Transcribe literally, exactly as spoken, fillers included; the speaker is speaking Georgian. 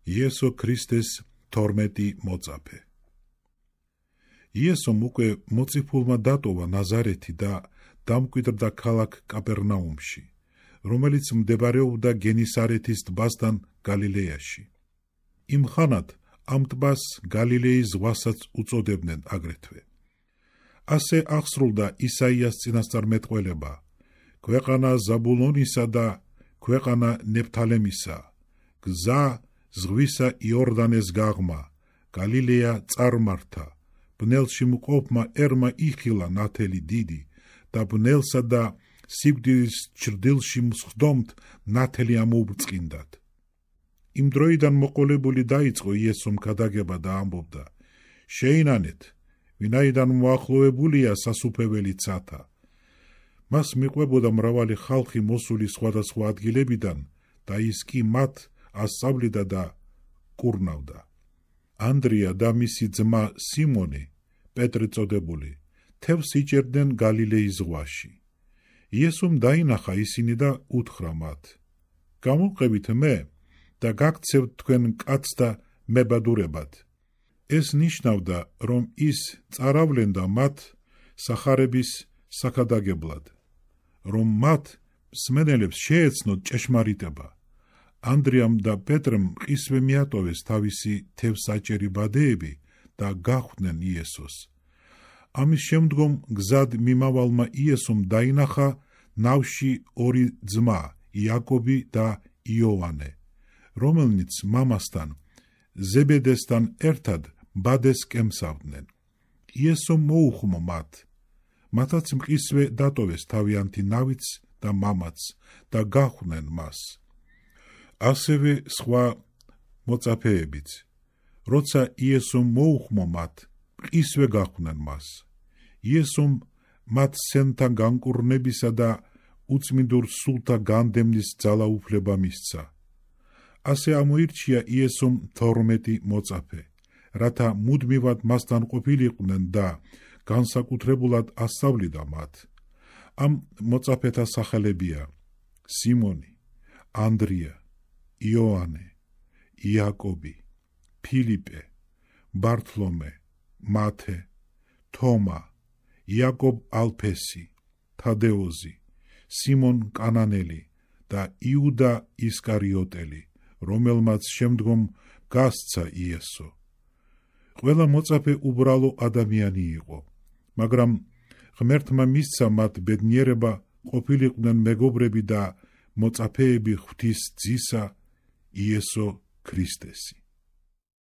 იესო ქრისტეს თორმეტი მოწაფე. იესომ უკვე მოწიფულმა დატოვა ნაზარეთი და დამკვიდრდა ქალაქ კაპერნაუმში, რომელიც მდებარეობდა გენისარეთის ტბასთან გალილეაში. იმ ხანად ამ ტბას გალილეის ზღვასაც უწოდებდნენ აგრეთვე. ასე აღსრულდა ისაიას წინასწარმეტყველება: ქვეყანა ზაბულონისა და ქვეყანა ნეფთალემისა, გზა ზღვისა იორდანეს გაღმა, გალილეა წარმართა, ბნელში მყოფმა ერმა იხილა ნათელი დიდი და ბნელსა და სიკვდილის ჩრდილში მსხდომთ ნათელი ამოუბრწყინდათ. იმ დროიდან მოყოლებული დაიწყო იესომ ქადაგება და ამბობდა: შეინანეთ, ვინაიდან მოახლოებულია სასუფეველი ცათა. მას მიყვებოდა მრავალი ხალხი მოსული სხვადასხვა ადგილებიდან და ის კი მათ ასწავლიდა და კურნავდა. ანდრია და მისი ძმა სიმონი, პეტრე წოდებული, თევზს იჭერდნენ გალილეის ზღვაში. იესომ დაინახა ისინი და უთხრა მათ: გამოვყევით მე და გაქცევთ თქვენ კაცს და მებადურებად. ეს ნიშნავდა, რომ ის წაავლენდა მათ სახარების საქადაგებლად, რომ მათ მსმენელებს შეეცნოთ ჭეშმარიტება. ანდრიამ და პეტრემ მყისვე მიატოვეს თავისი თევზსაჭერი ბადეები და გახვდნენ იესოს. ამის შემდგომ გზად მიმავალმა იესომ დაინახა ნავში ორი ძმა, იაკობი და იოანე, რომელნიც მამასთან, ზებედესთან ერთად ბადეს კემსავდნენ. იესომ მოუხმო მათ, მათაც მყისვე დატოვეს თავიანთი ნავიც და მამაც და გახვდნენ მას. ასევე სხვა მოწაფეებიც, როცა იესომ მოუხმო მათ, მყისვე გახვდნენ მას. იესომ მათ სენთა განკურნებისა და უწმინდურ სულთა განდევნის ძალაუფლება მისცა. ასე ამოირჩია იესომ თორმეტი მოწაფე, რათა მუდმივად მასთან ყოფილიყვნენ და განსაკუთრებულად ასწავლიდა მათ. ამ მოწაფეთა სახელებია: სიმონი, ანდრია, იოანე, იაკობი, ფილიპე, ბართლომე, მათე, თომა, იაკობ ალფესი, თადეოზი, სიმონ კანანელი და იუდა ისკარიოტელი, რომელმაც შემდგომ გასცა იესო. ყველა მოწაფე უბრალო ადამიანი იყო, მაგრამ ღმერთმა მისცა მათ ბედნიერება ყოფილიყვნენ მეგობრები და მოწაფეები ღვთის ძისა იესო ქრისტესი.